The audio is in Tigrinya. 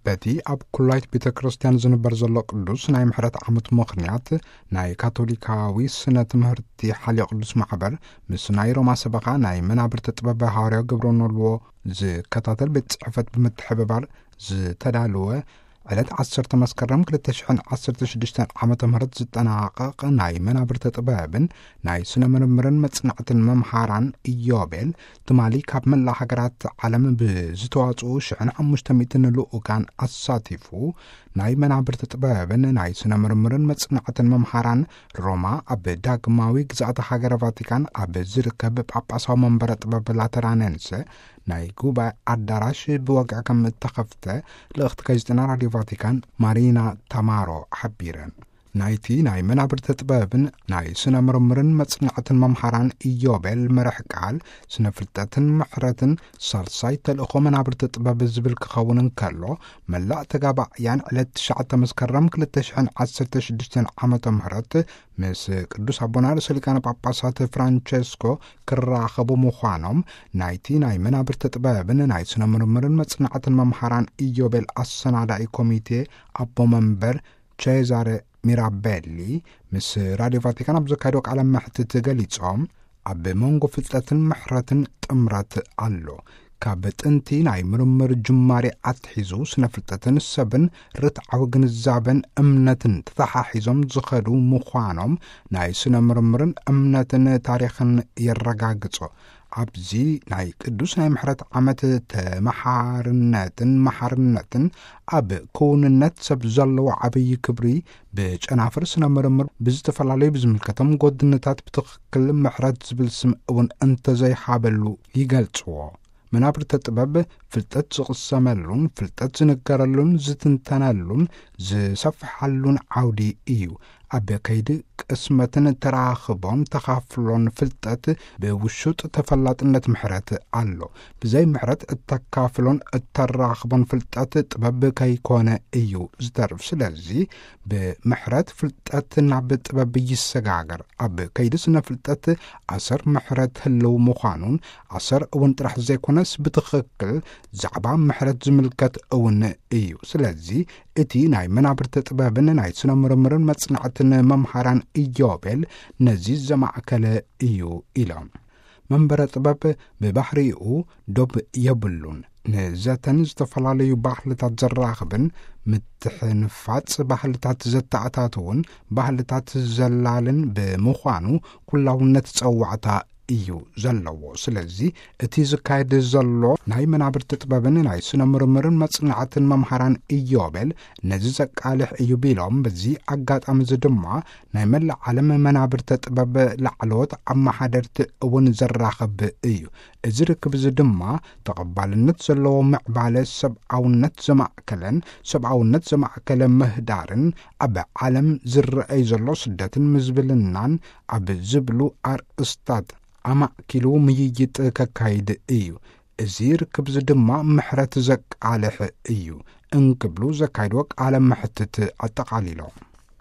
በቲ ኣብ ኩላይት ቤተ ክርስቲያን ዝንበር ዘሎ ቅዱስ ናይ ምሕረት ዓመት ምኽንያት፣ ናይ ካቶሊካዊ ስነ ትምህርቲ ሓልዮ ቅዱስ ማሕበር ምስ ናይ ሮማ ሰበኻ ናይ መናብርቲ ጥበብ ሃዋርያዊ ግብረ ኖልዎ ዝከታተል ቤት ጽሕፈት ብምትሕብባር ዝተዳለወ ዕለት ዓሰርተ መስከረም ክልተ ሽሕን ዓሰርተ ሽዱሽተን ዓመተ ምህረት ዝጠናቐቕ ናይ መናብርቲ ጥበብን ናይ ስነ ምርምርን መጽናዕትን መምሃራን ኢዮቤል፣ ትማሊ ካብ መላእ ሃገራት ዓለም ብዝተዋጽኡ ሽሕን ሓሙሽተ ሚእትን ልኡካን ኣሳቲፉ፣ ናይ መናብርቲ ጥበብን ናይ ስነ ምርምርን መጽናዕትን መምሃራን ሮማ ኣብ ዳግማዊ ግዝኣተ ሃገረ ቫቲካን ኣብ ዝርከብ ጳጳሳዊ መንበረ ጥበብ ላተራነንሰ ናይ ጉባኤ ኣዳራሽ ብወግዒ ከም እተኸፍተ ልእኽቲ ጋዜጠና ራድዮ ቫቲካን ማሪና ታማሮ ሓቢረን። ናይቲ ናይ መናብርቲ ጥበብን ናይ ስነ ምርምርን መጽናዕትን መምሃራን ኢዮቤል መርሕ ቃል ስነ ፍልጠትን ምሕረትን ሳልሳይ ተልእኾ መናብርቲ ጥበብ ዝብል ክኸውን እንከሎ፣ መላእ ተጋባእያን ዕለት ትሽዓተ መስከረም ክልተ ሽሕን ዓሰርተ ሽዱሽተን ዓመተ ምህረት ምስ ቅዱስ ኣቦና ርእሰ ሊቃነ ጳጳሳት ፍራንቸስኮ ክራኸቡ ምዃኖም ናይቲ ናይ መናብርቲ ጥበብን ናይ ስነ ምርምርን መጽናዕትን መምሃራን ኢዮቤል ኣሰናዳኢ ኮሚቴ ኣቦ መንበር ቼዛረ ሚራቤሊ ምስ ራድዮ ቫቲካን ኣብ ዘካየዶ ቃለ መሕትት ገሊጾም፣ ኣብ መንጎ ፍልጠትን ምሕረትን ጥምረት ኣሎ። ካብ ጥንቲ ናይ ምርምር ጅማሬ ኣትሒዙ ስነ ፍልጠትን ሰብን ርትዓዊ ግንዛበን እምነትን ተተሓሒዞም ዝኸዱ ምዃኖም ናይ ስነ ምርምርን እምነትን ታሪኽን የረጋግጾ። ኣብዚ ናይ ቅዱስ ናይ ምሕረት ዓመት ተመሓርነትን መሓርነትን ኣብ ክውንነት ሰብ ዘለዎ ዓብዪ ክብሪ ብጨናፍር ስነ ምርምር ብዝተፈላለዩ ብዝምልከቶም ጎድንታት ብትኽክል ምሕረት ዝብል ስም እውን እንተዘይሃበሉ ይገልጽዎ። መናብርተ ጥበብ ፍልጠት ዝቕሰመሉን ፍልጠት ዝንገረሉን ዝትንተነሉን ዝሰፍሓሉን ዓውዲ እዩ። ኣብ ከይዲ ቅስመትን ተራኽቦን ተኻፍሎን ፍልጠት ብውሹጥ ተፈላጥነት ምሕረት ኣሎ። ብዘይ ምሕረት እተካፍሎን እተራኽቦን ፍልጠት ጥበብ ከይኮነ እዩ ዝተርፍ። ስለዚ ብምሕረት ፍልጠት ናብ ጥበብ ይሰጋገር። ኣብ ከይዲ ስነ ፍልጠት ኣሰር ምሕረት ህልው ምዃኑን ኣሰር እውን ጥራሕ ዘይኮነስ ብትኽክል ዛዕባ ምሕረት ዝምልከት እውን እዩ። ስለዚ እቲ ናይ መናብርቲ ጥበብን ናይ ስነ ምርምርን መጽናዕትን መምሃራን ኢዮቤል ነዚ ዘማእከለ እዩ ኢሎም። መንበረ ጥበብ ብባህሪኡ ዶብ የብሉን። ንዘተን ዝተፈላለዩ ባህልታት ዘራኽብን ምትሕንፋጽ ባህልታት ዘተኣታትውን ባህልታት ዘላልን ብምዃኑ ኩላውነት ጸዋዕታ እዩ ዘለዎ። ስለዚ እቲ ዝካየድ ዘሎ ናይ መናብርቲ ጥበብን ናይ ስነ ምርምርን መጽናዕትን መምሃራን ኢዮቤል ነዚ ዘቃልሕ እዩ ቢሎም፣ በዚ ኣጋጣሚ እዚ ድማ ናይ መላእ ዓለም መናብርተ ጥበብ ላዕለዎት ኣመሓደርቲ እውን ዘራኽብ እዩ። እዚ ርክብ እዚ ድማ ተቐባልነት ዘለዎ ምዕባለ ሰብኣውነት ዘማእከለን ሰብኣውነት ዘማእከለ ምህዳርን ኣብ ዓለም ዝረኣይ ዘሎ ስደትን ምዝብልናን ኣብ ዝብሉ ኣርእስታት ኣማእኪሉ ምይይጥ ከካይድ እዩ። እዚ ርክብ እዚ ድማ ምሕረት ዘቃልሕ እዩ እንክብሉ ዘካይድዎ ቃለ መሕትት ኣጠቓሊሎም።